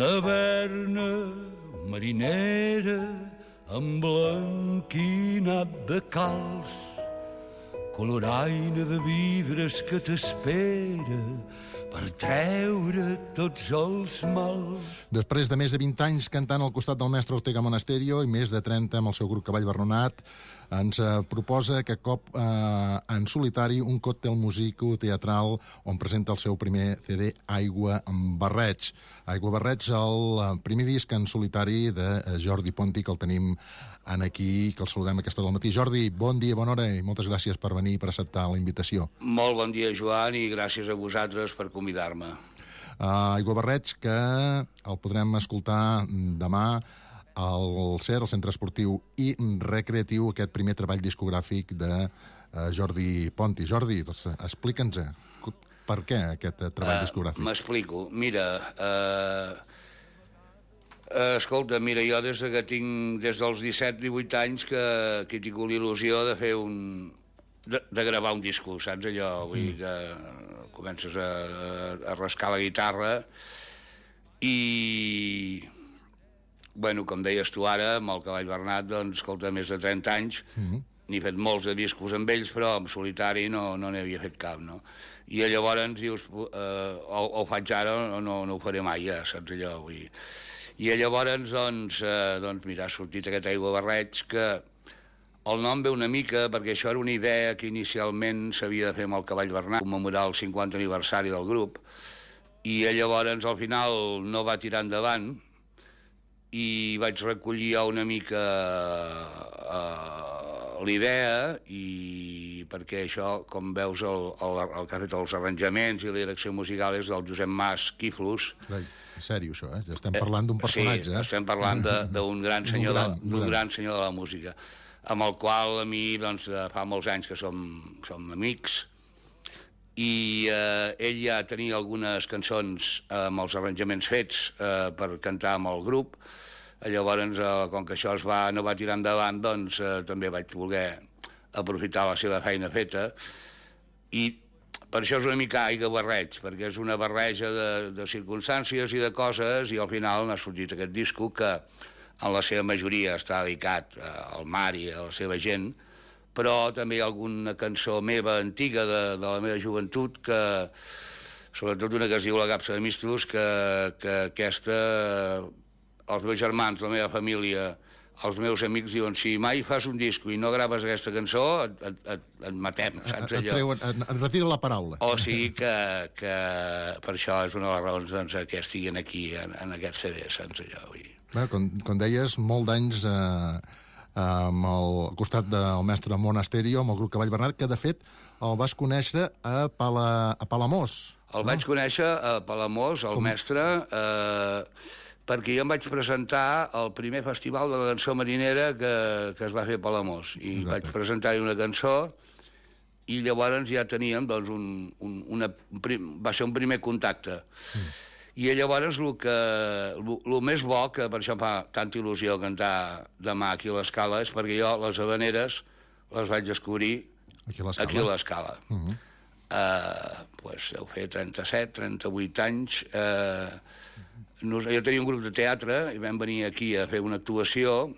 taverna marinera emblanquinat de calç, coloraina de vidres que t'espera per treure tots els mals. Després de més de 20 anys cantant al costat del mestre Ortega Monasterio i més de 30 amb el seu grup Cavall Bernat, ens proposa aquest cop en solitari un còctel musico teatral on presenta el seu primer CD, Aigua amb Barreig. Aigua Barreig, el primer disc en solitari de Jordi Ponti, que el tenim aquí, que el saludem a aquesta hora del matí. Jordi, bon dia, bona hora i moltes gràcies per venir i per acceptar la invitació. Molt bon dia, Joan, i gràcies a vosaltres per convidar-me. Aigua Barreig, que el podrem escoltar demà al CER, el Centre Esportiu i Recreatiu, aquest primer treball discogràfic de Jordi Ponti. Jordi, doncs, explica'ns per què aquest treball discogràfic. M'explico. Mira, escolta, jo des dels 17-18 anys que he tingut l'il·lusió de fer de gravar un disco, saps allò? Vull dir que comences a rascar la guitarra i, bueno, com deies tu ara, amb el Cavall Bernat, doncs, escolta, més de 30 anys, n'he fet molts de discos amb ells, però en solitari no n'havia fet cap, no? I llavors dius, ho faig ara o no ho faré mai, ja, saps allò? Vull dir. I llavors, doncs, mira, ha sortit aquest Aigua Barreig, que el nom ve una mica perquè això era una idea que inicialment s'havia de fer amb el Cavall Bernat, commemorar el 50 aniversari del grup, i llavors al final no va tirar endavant i vaig recollir una mica l'idea, i perquè això, com veus, el que ha fet els arranjaments i la direcció musical és del Josep Mas Quiflos. En sèrio, això, ja estem parlant d'un personatge. Sí, estem parlant d'un gran senyor de la música, amb el qual a mi, doncs, fa molts anys que som amics, i ell ja tenia algunes cançons amb els arranjaments fets per cantar amb el grup. Llavors, com que això no va tirar endavant, doncs també vaig voler aprofitar la seva feina feta, i per això és una mica Aigua Barreig, perquè és una barreja de circumstàncies i de coses, i al final n'ha sortit aquest disco que en la seva majoria està dedicat al mar i a la seva gent, però també hi ha alguna cançó meva antiga de la meva joventut, que sobretot una que es diu La Capsa de Mistos, que aquesta, els meus germans, la meva família, els meus amics diuen, si mai fas un disco i no graves aquesta cançó, et matem, saps allò? Et retira la paraula. O sigui que per això és una de les raons, doncs, que estiguin aquí en aquest CD, saps allò? Bé, com deies, molt d'anys al costat del mestre Monasterio, amb el grup Cavall Bernat, que de fet el vas conèixer a Palamós. El vaig conèixer a Palamós, el mestre, perquè jo em vaig presentar al primer festival de la cançó marinera que es va fer a Palamós, i vaig presentar-hi una cançó, i llavors ja teníem, doncs, va ser un primer contacte. I llavors el més bo, que per això em fa tanta il·lusió cantar demà aquí a l'Escala, és perquè jo les havaneres les vaig descobrir aquí a l'Escala. Doncs deu fer 37, 38 anys. Jo tenia un grup de teatre i vam venir aquí a fer una actuació.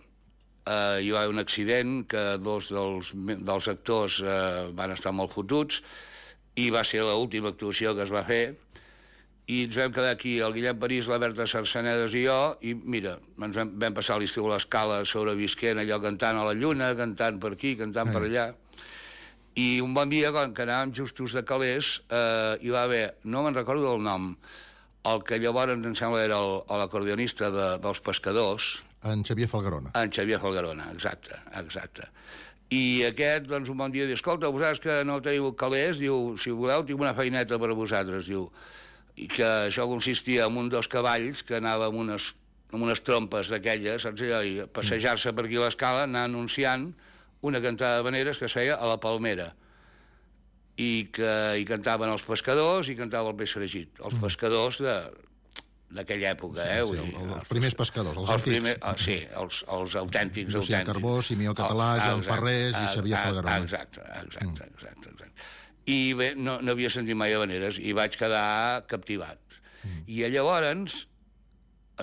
Hi va haver un accident que dos dels actors van estar molt fotuts, i va ser l'última actuació que es va fer, i ens vam quedar aquí el Guillem París, la Berta Sarsenedes i jo, i mira, ens vam passar l'estiu a l'Escala sobrevisquent allò, cantant a la lluna, cantant per aquí, cantant per allà. I un bon dia, quan anàvem justos de calés, hi va haver, no me'n recordo del nom, el que llavors em sembla era l'acordionista dels Pescadors. En Xavier Falgarona. En Xavier Falgarona, exacte. I aquest, doncs, un bon dia diu, escolta, vosaltres que no teniu calés, diu, si voleu, tinc una feineta per a vosaltres, diu, i que això consistia en dos cavalls que anava amb unes trompes d'aquelles, saps allò, i passejar-se per aquí a l'Escala, anar anunciant una cantada d'havaneres que es feia a la Palmera, i cantaven els pescadors i cantava el peix fregit, els pescadors d'aquella època, els primers pescadors, els antics. Sí, els autèntics. Llucià Carbó, Simeó Català, Joan Ferrés i Xavier Falgarona. Exacte. I bé, no havia sentit mai havaneres i vaig quedar captivat. I llavors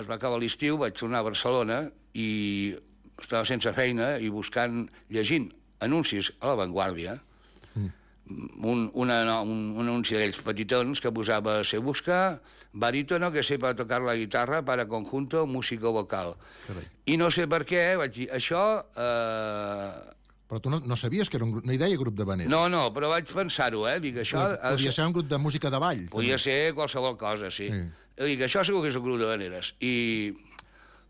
es va acabar l'estiu, vaig tornar a Barcelona i estava sense feina i llegint anuncis a La Vanguardia, un anunci d'aquells petitons que posava «Se busca barítono que sepa tocar la guitarra para conjunto músico vocal». Carai. I no sé per què, vaig dir, això... Però tu no sabies que era un grup, no hi deia grup de vanera. No, però vaig pensar-ho, Dic, això... Podia ser un grup de música de ball. Podia ser qualsevol cosa, sí. Dic, això segur que és un grup de vaneres. I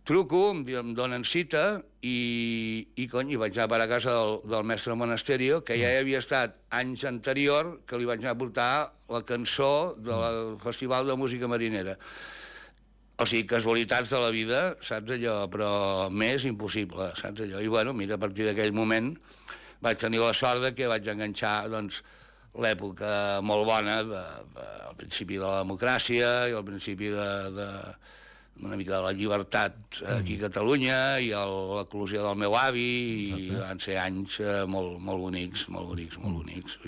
truco, em donen cita i vaig anar per a casa del mestre Monasterio, que ja havia estat anys anterior, que li vaig anar a portar la cançó del Festival de Música Marinera. O sigui, casualitats de la vida, saps allò? Però més impossible, saps allò? I, bueno, mira, a partir d'aquell moment vaig tenir la sort de que vaig enganxar, doncs, l'època molt bona al principi de la democràcia i al principi una mica de la llibertat aquí a Catalunya i l'eclosió del meu avi, i van ser anys molt bonics, molt bonics.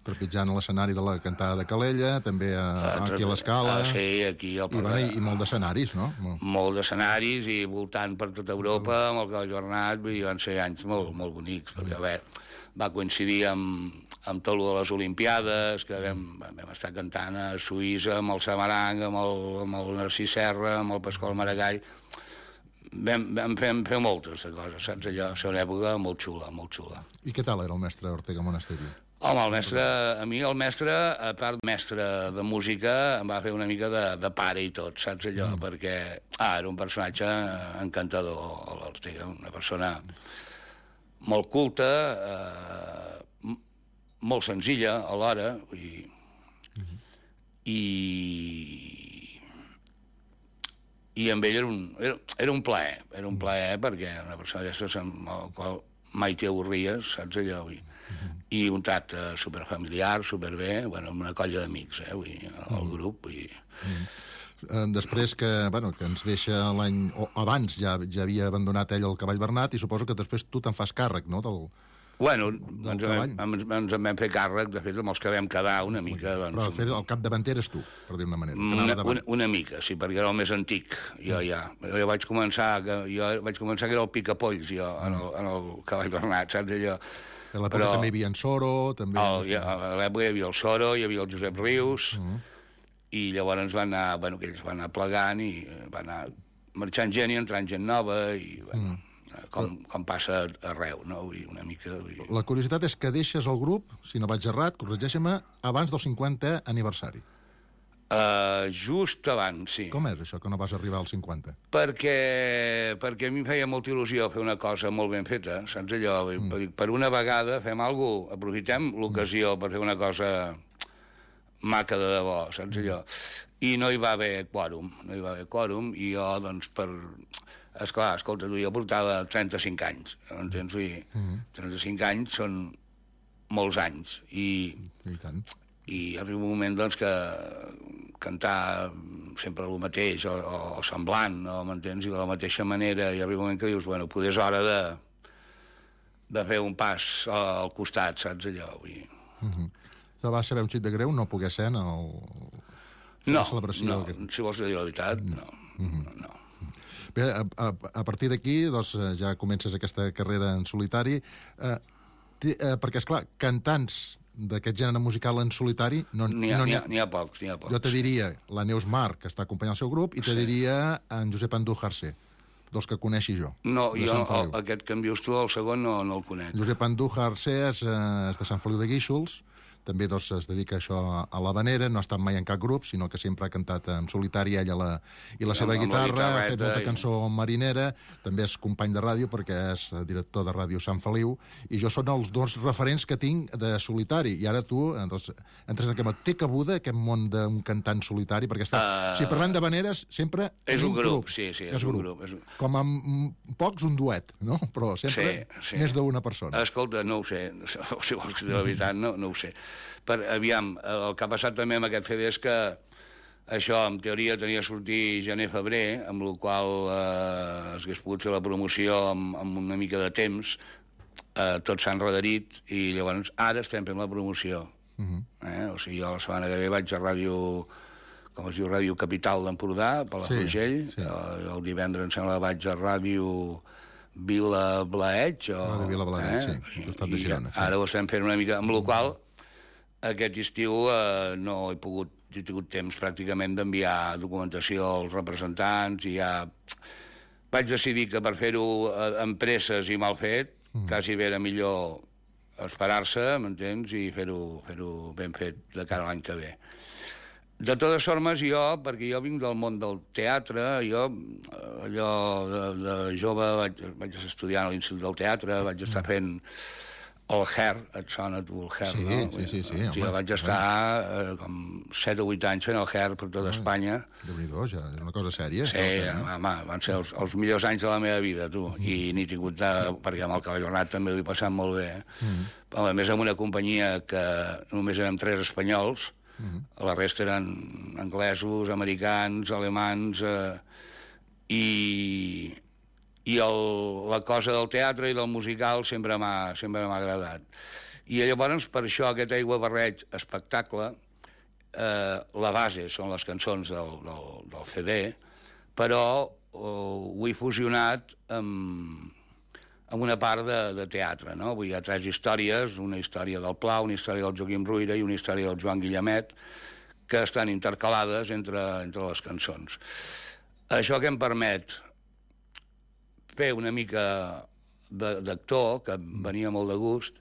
Trepitjant l'escenari de la cantada de Calella, també aquí a l'Escala. Sí, aquí al Parc. I molt d'escenaris, no? Molt d'escenaris i voltant per tota Europa, amb el Cavall Bernat, vull dir, van ser anys molt bonics, perquè va coincidir amb tot de les Olimpiades, que vam estar cantant a Suïssa, amb el Samarang, amb el Narcís Serra, amb el Pasqual Maragall. Vam fer moltes de coses, saps allò? Va ser una època molt xula, molt xula. I què tal era el mestre Ortega Monasterio? Home, a mi el mestre, a part mestre de música, em va fer una mica de pare i tot, saps allò? Perquè era un personatge encantador, l'Ortega, una persona molt culta, molt senzilla alhora, i amb ell era un plaer, perquè una persona d'aquestes amb la qual mai t'hi avorries, saps allò? I un tracte superfamiliar, superbé, bueno, amb una colla d'amics, vull dir, el grup, Després que ens deixa l'any... Abans ja havia abandonat ell el Cavall Bernat i suposo que després tu te'n fas càrrec, no?, Bueno, ens en vam fer càrrec, de fet, amb els que vam quedar una mica... Però el capdavanter eres tu, per dir-ne una manera. Una mica, sí, perquè era el més antic, jo ja. Jo vaig començar que era el picapolls, jo, en el Cavall Bernat, saps allò? A l'època també hi havia en Soro, també... A l'època hi havia el Soro, hi havia el Josep Rius, i llavors van anar, que ells van anar plegant i van anar marxant gent i entrant gent nova, i, com passa arreu, no? Una mica... La curiositat és que deixes el grup, si no vaig errat, corregeix-me, abans del 50è aniversari. Just abans, sí. Com és això, que no vas arribar als 50? Perquè a mi em feia molta il·lusió fer una cosa molt ben feta, saps allò? Per una vegada fem alguna cosa, aprofitem l'ocasió per fer una cosa maca de debò, saps allò? I no hi va haver quòrum, i jo, doncs, esclar, escolta, jo portava 35 anys, entens? 35 anys són molts anys, i arriba un moment, doncs, que cantar sempre el mateix, o semblant, no m'entens? I de la mateixa manera, i arriba un moment que dius, bueno, potser és hora de fer un pas al costat, saps allò? Te va saber un xic de greu no poder ser en la celebració? No, si vols dir la veritat, no. Bé, a partir d'aquí, doncs, ja comences aquesta carrera en solitari, perquè, esclar, cantants d'aquest gènere musical en solitari... N'hi ha pocs. Jo te diria la Neus Mar, que està acompanyant el seu grup, i te diria en Josep Andújar C, dels que coneixi jo. No, jo aquest que em dius tu, el segon, no el conec. Josep Andújar C és de Sant Feliu de Guíxols, també doncs, es dedica a això a l'havanera, no ha estat mai en cap grup, sinó que sempre ha cantat en solitari ell i la seva guitarra, ha fet molta cançó marinera, també és company de ràdio perquè és director de ràdio Sant Feliu, i jo són els dos referents que tinc de solitari, i ara tu doncs, entres en aquest món. Té cabuda aquest món d'un cantant solitari? Perquè si parlem de habaneres, sempre és un grup. Sí, és un grup. Com amb pocs, un duet, no? Però sempre més d'una persona. Escolta, no ho sé, si vols dir la veritat, no ho sé. Aviam, el que ha passat també amb aquest CD és que això, en teoria, tenia de sortir gener-febrer, amb la qual s'hagués pogut fer la promoció amb una mica de temps, tots s'han enredarit, i llavors ara estem fent la promoció. O sigui, jo la setmana que ve vaig a ràdio com es diu, Ràdio Capital d'Empordà, Palafrugell. El divendres, em sembla, vaig a Ràdio Vila Blaeig. Ràdio Vila Blaeig, sí, costat de Girona. Ara ho estem fent una mica, amb la qual aquest estiu no he tingut temps pràcticament d'enviar documentació als representants i ja vaig decidir que per fer-ho amb presses i mal fet, quasi bé era millor esperar-se, m'entens, i fer-ho ben fet de cara a l'any que ve. De totes formes, perquè jo vinc del món del teatre, allò de jove vaig estudiar a l'Institut del Teatre, vaig estar fent el Her, et sona tu el Her, no? Sí, jo vaig estar com 7 o 8 anys fent el Her per tota Espanya. Déu-n'hi-do, ja, és una cosa sèria. Sí, van ser els millors anys de la meva vida, tu, i n'he tingut, perquè amb el Cavall Bernat també ho he passat molt bé. A més, amb una companyia que només érem 3 espanyols, la resta eren anglesos, americans, alemans, i la cosa del teatre i del musical sempre m'ha agradat. I llavors, per això, aquest aiguabarreig espectacle, la base són les cançons del CD, però ho he fusionat amb una part de teatre, no? Hi ha 3 històries, una història del Pla, una història del Joaquim Ruyra i una història del Joan Guillemet, que estan intercalades entre les cançons. Això que em permet fer una mica d'actor, que em venia molt de gust,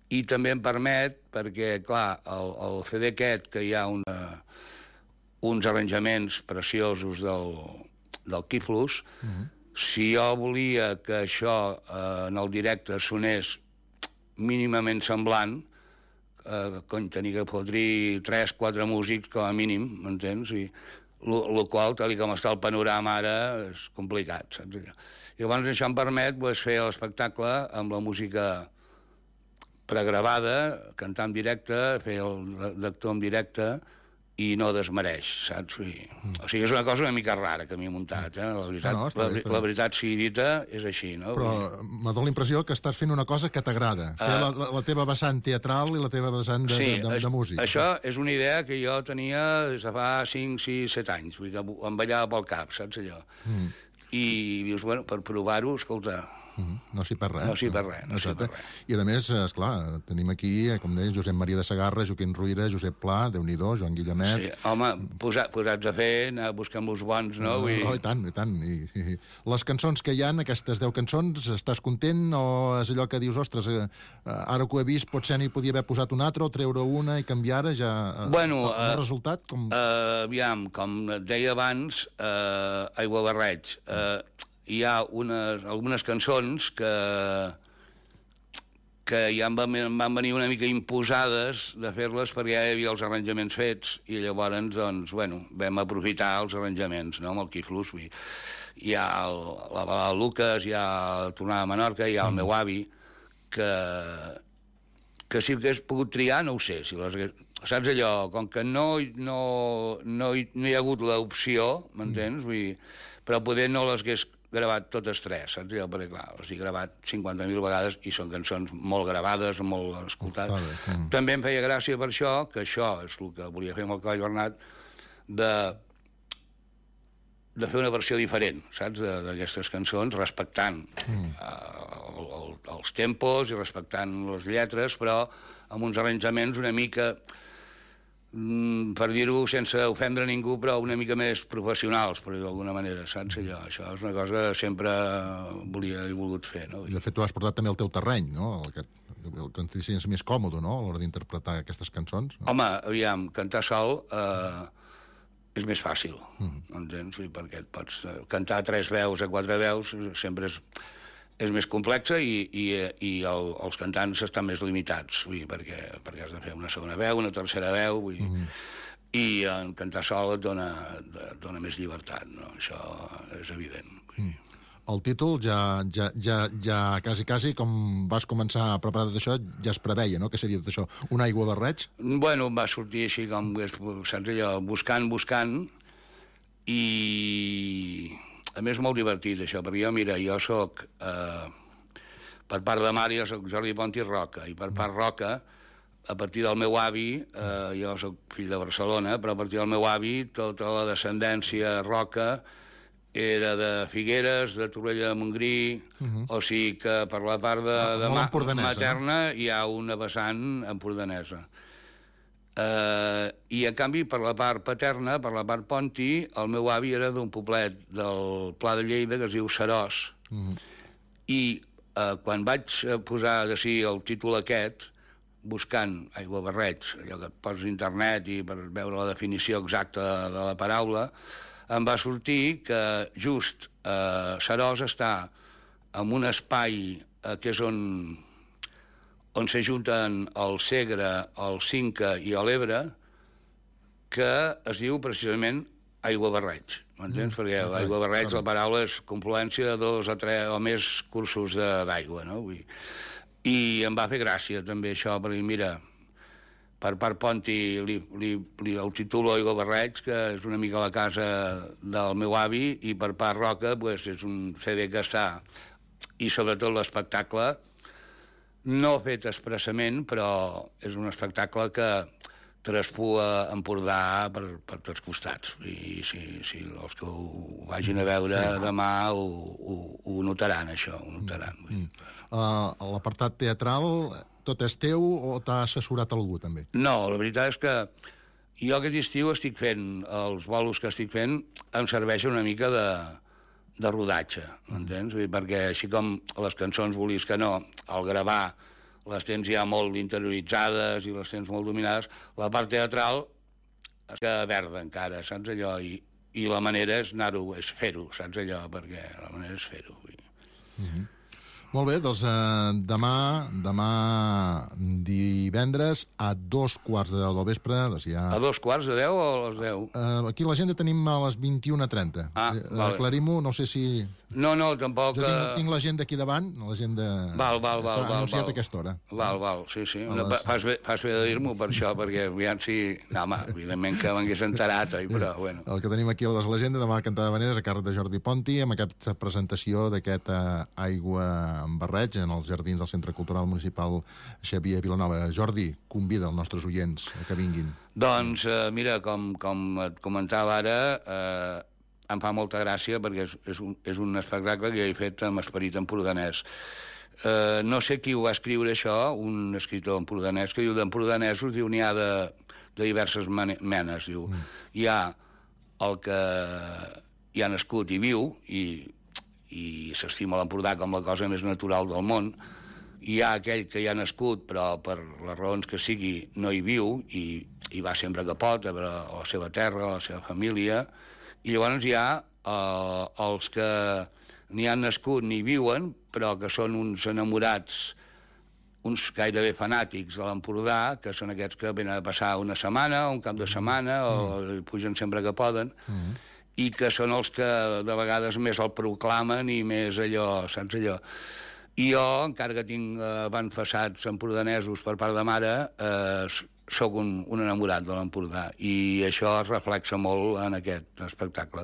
i també em permet, perquè, clar, el CD aquest, que hi ha uns arranjaments preciosos del Quiflus, si jo volia que això en el directe sonés mínimament semblant, tenia que podrir 3-4 músics com a mínim, m'entens? I el qual, tal com està el panorama ara, és complicat, saps? Llavors això em permet fer l'espectacle amb la música pregravada, cantar en directe, fer l'actor en directe, i no desmereix, saps? O sigui, és una cosa una mica rara que m'he muntat, eh? La veritat sigui dita, és així, no? Però m'ha donat la impressió que estàs fent una cosa que t'agrada, fer la teva vessant teatral i la teva vessant de música. Això és una idea que jo tenia des de fa 5, 6, 7 anys, vull dir que em ballava pel cap, saps allò? I dius, bueno, per provar-ho, escolta... No s'hi perd res. No s'hi perd res. I a més, esclar, tenim aquí, com deia, Josep Maria de Segarra, Joaquim Ruyra, Josep Pla, Déu-n'hi-do, Joan Guillemet... Sí, home, posats a fer, anar buscant els bons, no? I tant. I les cançons que hi ha, aquestes 10 cançons, estàs content o és allò que dius, ostres, ara que ho he vist, potser n'hi podia haver posat una altra o treure una i canviar ara ja... Bueno, el resultat, com... Aviam, com et deia abans, aiguabarreig, hi ha algunes cançons que ja em van venir una mica imposades de fer-les perquè ja hi havia els arranjaments fets i llavors, doncs, bueno, vam aprofitar els arranjaments, no?, amb el Quiflus. Hi ha la balada de Lucas, hi ha la tornada a Menorca, hi ha el meu avi, que si hagués pogut triar, no ho sé, saps allò, com que no hi ha hagut l'opció, m'entens? Però poder no les hagués gravat totes 3, saps? Perquè, clar, les he gravat 50.000 vegades i són cançons molt gravades, molt escoltades. També em feia gràcia per això, que això és el que volia fer amb el Cavall Bernat, de fer una versió diferent, saps?, d'aquestes cançons, respectant els tempos i respectant les lletres, però amb uns arranjaments una mica... per dir-ho sense ofendre ningú, però una mica més professionals, per dir d'alguna manera, saps? Això és una cosa que sempre he volgut fer, no? I de fet, tu has portat també el teu terreny, no? El que et sents més còmode, no?, a l'hora d'interpretar aquestes cançons. No? Home, aviam, cantar sol és més fàcil, entens? Perquè et pots cantar 3 veus a 4 veus, sempre és més complexa i els cantants estan més limitats, perquè has de fer una segona veu, una tercera veu, i en cantar sol et dona més llibertat, no? Això és evident. El títol ja quasi, com vas començar a preparar tot això, ja es preveia, no?, que seria tot això, un aiguabarreig? Bueno, va sortir així com, saps allò, buscant, i... A més, molt divertit, això, perquè jo soc, per part de mare, jo soc Jordi Pont i Roca, i per part Roca, a partir del meu avi, jo soc fill de Barcelona, però a partir del meu avi tota la descendència roca era de Figueres, de Torroella de Montgrí, o sigui que per la part de materna hi ha una vessant empordanesa. I, en canvi, per la part paterna, per la part Ponti, el meu avi era d'un poblet del Pla de Lleida que es diu Seròs. I quan vaig posar de si el títol aquest, buscant aiguabarreig, allò que et poses a internet i per veure la definició exacta de la paraula, em va sortir que just Seròs està en un espai que és on s'ajunten el Segre, el Cinca i l'Ebre, que es diu precisament aiguabarreig. M'entens? Perquè aiguabarreig, la paraula és confluència de 2 o 3 o més cursos d'aigua, no? I em va fer gràcia també això, perquè mira, per part Ponti el titulo aiguabarreig, que és una mica la casa del meu avi, i per part Roca pues, és un CD que està, i sobretot l'espectacle, no fet expressament, però és un espectacle que traspua Empordà per tots costats. I si els que ho vagin a veure demà ho notaran, això, ho notaran. L'apartat teatral, tot és teu o t'ha assessorat algú, també? No, la veritat és que jo aquest estiu estic fent, els bolos que estic fent, em serveixen una mica de rodatge, m'entens? Perquè així com les cançons volies que no, al gravar les tens ja molt interioritzades i les tens molt dominades, la part teatral es queda verda encara, saps allò? I la manera és anar-ho, és fer-ho, saps allò? Perquè la manera és fer-ho. Molt bé, doncs demà divendres a 2:15 del vespre. Doncs ja... A 2:15 o a les 10? Aquí l'agenda tenim a les 21:30. Vale. Aclarim-ho, no sé si... No, tampoc... Jo tinc l'agenda aquí davant, l'agenda... Val. Està anunciat a aquesta hora. Val, sí. Fas bé de dir-m'ho per això, perquè aviam si... No, home, evidentment que m'hagués enterat, però bueno. El que tenim aquí a l'agenda, demà Cantar d'Havaneres, a càrrec de Jordi Ponti, amb aquesta presentació d'aquest Aigua en Barreig en els jardins del Centre Cultural Municipal Xavier Vilanova. Jordi, convida els nostres oients que vinguin. Doncs, mira, com et comentava ara, em fa molta gràcia perquè és un espectacle que he fet amb esperit empordanès. No sé qui ho va escriure, això, un escriptor empordanès, que diu d'empordanesos, diu, n'hi ha de diverses menes, diu. Hi ha el que hi ha nascut i viu, i s'estima l'Empordà com la cosa més natural del món. Hi ha aquell que hi ha nascut, però per les raons que sigui no hi viu, i va sempre que pot a la seva terra, a la seva família. I llavors hi ha els que ni han nascut ni viuen, però que són uns enamorats, uns gairebé fanàtics de l'Empordà, que són aquests que venen a passar una setmana, un cap de setmana, o pugen sempre que poden, i que són els que de vegades més el proclamen i més allò, saps allò? I jo, encara que tinc avantpassats empordanesos per part de mare, sóc un enamorat de l'Empordà, i això es reflexa molt en aquest espectacle.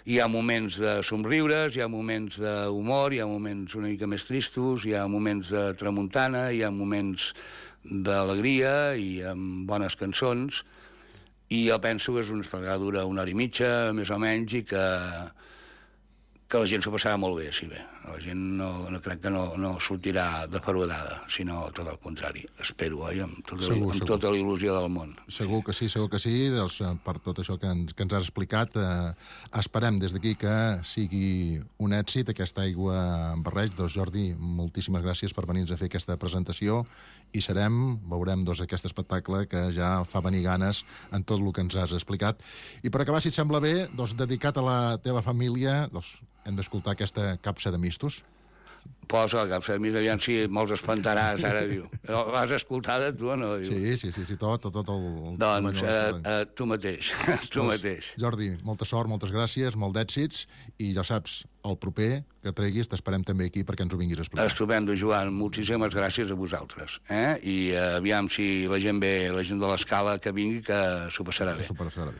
Hi ha moments de somriures, hi ha moments d'humor, hi ha moments una mica més tristos, hi ha moments de tramuntana, hi ha moments d'alegria i amb bones cançons, i jo penso que és una espectacle que dura 1 hora i mitja, més o menys, i que la gent s'ho passarà molt bé, si bé. La gent no crec que no sortirà defraudada, sinó tot el contrari. Espero, amb tota la il·lusió del món. Segur que sí. Doncs, per tot això que ens has explicat, esperem des d'aquí que sigui un èxit aquesta Aigua en Barreig. Doncs, Jordi, moltíssimes gràcies per venir-nos a fer aquesta presentació i veurem aquest espectacle que ja fa venir ganes en tot el que ens has explicat. I per acabar, si et sembla bé, doncs, dedicat a la teva família, doncs, hem d'escoltar aquesta Capsa de Mistos. Posa la Capsa de Mistos, aviam si molts espantaràs, ara diu. L'has escoltada, tu, o no? Diu. Sí, tot el... Doncs tu mateix. Jordi, molta sort, moltes gràcies, molt d'èxits, i ja saps, el proper que treguis t'esperem també aquí perquè ens ho vinguis a explicar. Estupendo, Joan, moltíssimes gràcies a vosaltres. I aviam si la gent ve, la gent de l'Escala que vingui, que s'ho passarà bé.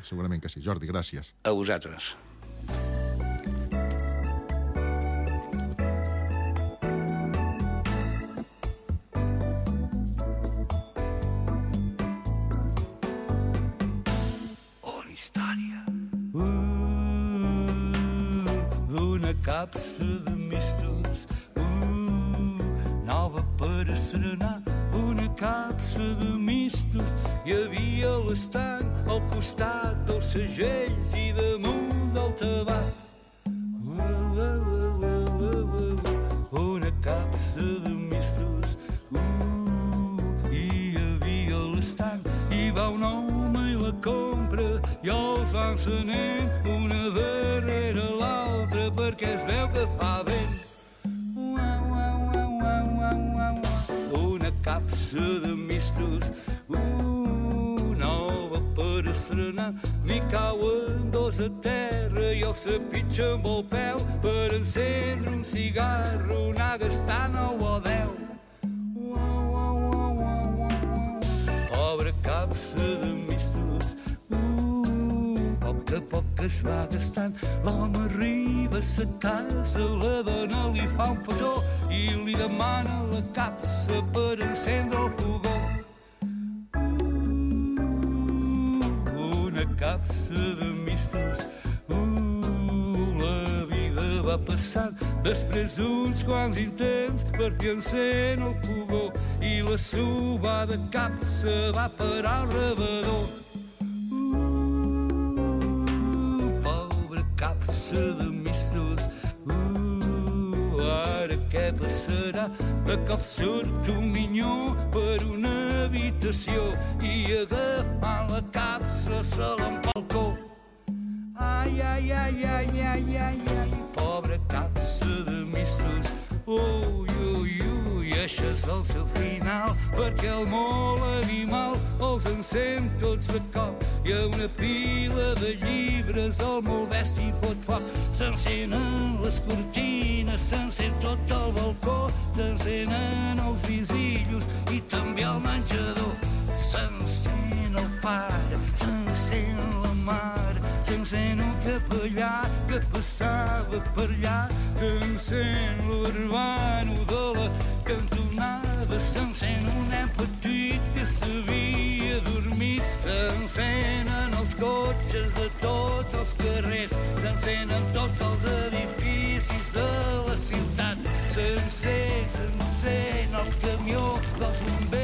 Segurament que sí. Jordi, gràcies. A vosaltres. història. Una capsa de mistos, nova per a serenar. Una capsa de mistos, hi havia l'estanc al costat dels segells i damunt del tabac. Una capsa de mistos, hi havia l'estanc, hi va un home i la compra i els va encenent una darrere l'altra perquè es veu que fa vent. Una capsa de mistos, nova per a serenar. M'hi cauen dos a terra i els trepitja amb el peu per encendre un cigarro, anar gastant 9 o 10. Pobre capsa de mistos, poc a poc es va gastant. L'home arriba a sa casa, la dona li fa un petó i li demana la capsa per encendre el fogó. Una capsa de mistos, la vida va passant. Després d'uns quants intents per fi encén el fogó i la subada capsa va parar al rebedor. Pobre capsa de mistos, ara què passarà? De cop surt un minyó per una habitació i agafant la capsa se l'empalcó. Ai, ai, ai, ai, ai, ai, ai, pobre capsa de mistos, ui, ui, ui, això és el seu final, perquè el molt animal els encén tots de cop. Hi ha una pila de llibres, el molt bèstia fot foc. S'encenen les cortines, s'encén tot el balcó, s'encenen els visillos i també el menjador. S'encén el pare, s'encén la mare, s'encén un capellà que passava per allà, s'encén l'urbano de la cantonada, s'encén un nen petit que s'havia dormit, s'encenen els cotxes de tots els carrers, s'encenen tots els edificis de la ciutat, s'encén el camió dels bombers,